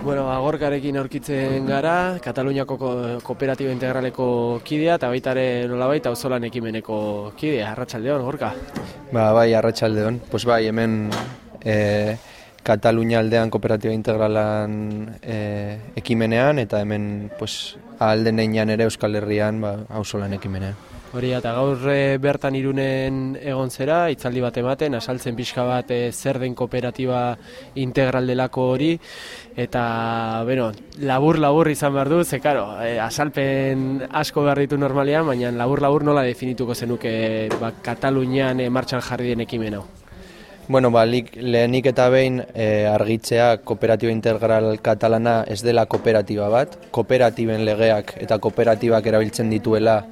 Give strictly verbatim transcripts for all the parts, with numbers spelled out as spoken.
Bueno, Gorkarekin aurkitzen gara, Kataluniako Kooperatiba Integraleko kidea eta baita ere nolabait auzolan ekimeneko kidea. Arratsaldeon, Gorka. Ba, bai, arratsaldeon. Pues bai, hemen eh, Katalunia aldean Kooperatiba Integralan eh, ekimenean eta hemen pues ahal den heinean ere Euskal Herrian ba, auzolan ekimenean. Hori, eta gaur e, bertan Irunen egon zera, hitzaldi bat ematen, asaltzen pixka bat e, zer den kooperatiba integral delako hori, eta, bueno, labur-labur izan behar du, ze, karo, e, asalpen asko behar ditu normalean, baina labur-labur nola definituko zenuke ba, Katalunian e, martxan jarri den ekimen hau? Bueno, ba, lehenik eta behin e, argitzea Kooperatiba Integral Katalana ez dela kooperatiba bat, kooperatiben legeak eta kooperatibak erabiltzen dituela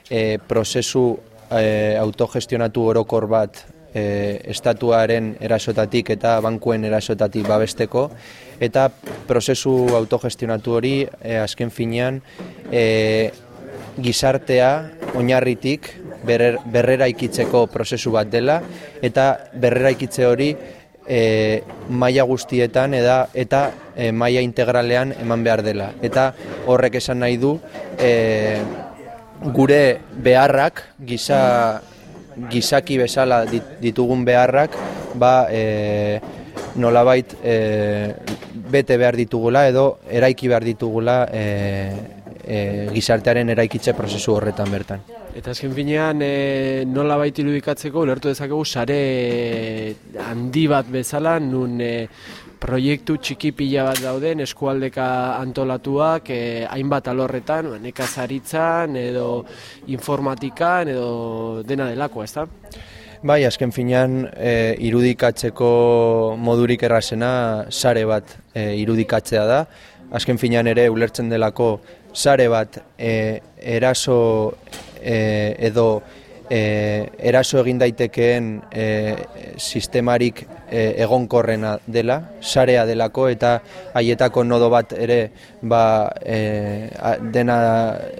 E, prozesu e, autogestionatu orokor bat e, estatuaren erasotatik eta bankuen erasotatik babesteko, eta prozesu autogestionatu hori e, azken finean e, gizartea oinarritik berrer, berrera ikitzeko prozesu bat dela, eta berrera ikitze hori e, maila guztietan eda, eta e, maila integralean eman behar dela. Eta horrek esan nahi du e, gure beharrak, giza, gizaki bezala ditugun beharrak, ba, e, nolabait e, bete behar ditugula edo eraiki behar ditugula e, e, gizartearen eraikitze prozesu horretan bertan. Eta azken finean e, nolabait irudikatzeko ulertu dezakegu sare handi bat bezala, nun e, proiektu txiki pila bat dauden eskualdeka antolatuak eh, hainbat alorretan, nekazaritzan edo informatikan edo dena delako, ezta? Bai, azken finean e, irudikatzeko modurik errazena sare bat e, irudikatzea da. Azken finean ere ulertzen delako sare bat e, eraso e, edo e, eraso egin daitekeen e, sistemarik e, egonkorrena dela, sarea delako, eta haietako nodo bat ere ba, e, dena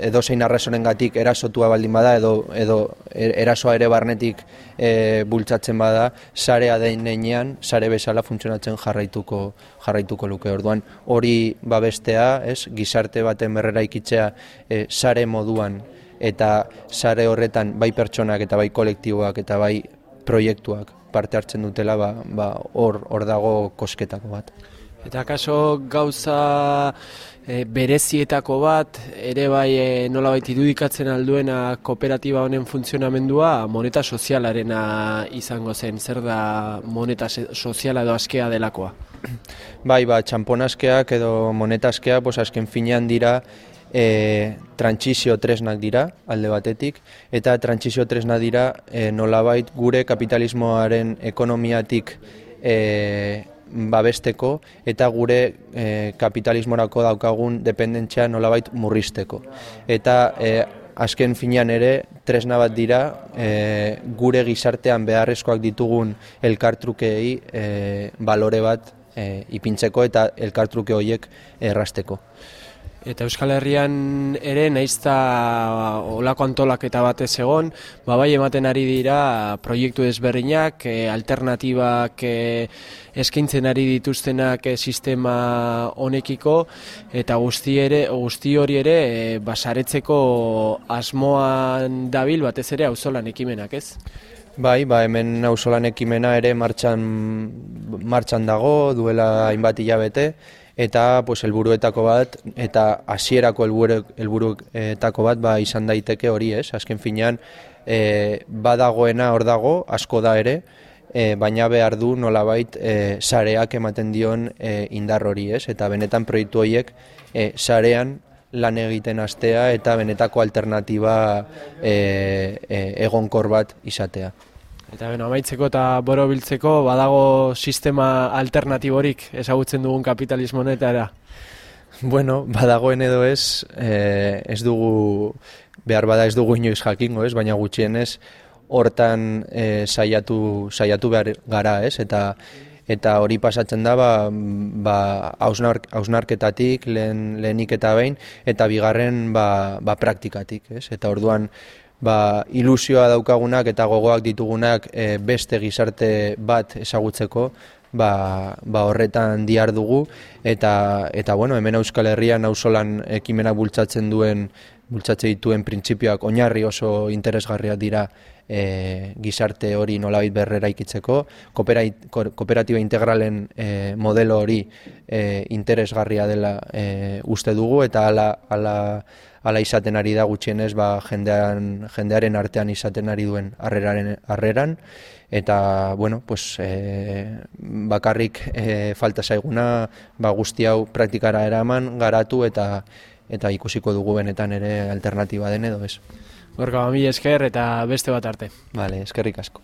edozein arrazorengatik erasotua baldin bada edo, edo erasoa ere barnetik e, bultzatzen bada, sarea denean, sare bezala funtzionatzen jarraituko jarraituko luke. Orduan hori babestea, ez, gizarte baten berrera ikitzea e, sare moduan, eta sare horretan bai pertsonak eta bai kolektiboak eta bai proiektuak parte hartzen dutela, ba, ba, hor, hor dago kosketako bat. Eta kaso gauza e, berezietako bat, ere bai e, nolabait irudikatzen alduena kooperatiba honen funtzionamendua moneta sozialarena izango zen. Zer da moneta soziala edo askea delakoa? Bai, ba, txampon askeak edo moneta askea, pues, azken finean dira E, trantsizio tresnak dira alde batetik, eta trantsizio tresnak dira e, nolabait gure kapitalismoaren ekonomiatik e, babesteko eta gure e, kapitalismorako daukagun dependentzia nolabait murrizteko. Eta e, azken finean ere tresna bat dira e, gure gizartean beharrezkoak ditugun elkartrukei e, balore bat e, ipintzeko eta elkartruke horiek errasteko. Eta Euskal Herrian ere naizta olako antolaketa batez egon, ba bai ematen ari dira proiektu desberdinak, e, alternatibak e, eskaintzen ari dituztenak e, sistema honekiko, eta guzti ere guzti hori ere e, basaretzeko asmoan dabil batez ere auzolan ekimenak, ez? Bai, ba hemen auzolan ekimena ere martxan martxan dago, duela hainbat hilabete. Eta pues helburuetako bat eta hasierako helburuetako bat ba izan daiteke hori, ez? Azken finean e, badagoena hor dago, asko da ere, e, baina behar du nolabait e, sareak ematen dion e, indar hori, ez? Eta benetan proiektu horiek e, sarean lan egiten hastea eta benetako alternatiba e, e, egonkor bat izatea. Eta beno, amaitzeko eta borobiltzeko badago sistema alternatiborik ezagutzen dugun kapitalismo honetara? Bueno, badagoen edo ez, eh, ez dugu, behar bada ez dugu inoiz jakingo, ez, baina gutxienez hortan eh, saiatu, saiatu behar gara, ez, eta eta hori pasatzen da ba, ba, hausnark, hausnarketatik lehen, lehenik eta behin, eta bigarren ba, ba, praktikatik, ez, eta orduan ba, ilusioa daukagunak eta gogoak ditugunak e, beste gizarte bat ezagutzeko, ba, ba horretan dihar dugu, eta, eta bueno, hemen Euskal Herrian auzolan ekimenak bultzatzen duen, bultzatze dituen printzipioak oinarri oso interesgarriak dira e, gizarte hori nolabait berrera ikitzeko, kooperatiba integralen e, modelo hori e, interesgarria dela e, uste dugu, eta ala, ala, ala izaten ari da gutxienez ba, jendean, jendearen artean izaten ari duen harreraren harreran, eta bueno, pues, e, bakarrik e, falta zaiguna ba, guzti hau praktikara eraman, garatu eta eta ikusiko dugu benetan ere alternatiba den edo ez. Gorka, mila esker eta beste bat arte. Vale, eskerrik asko.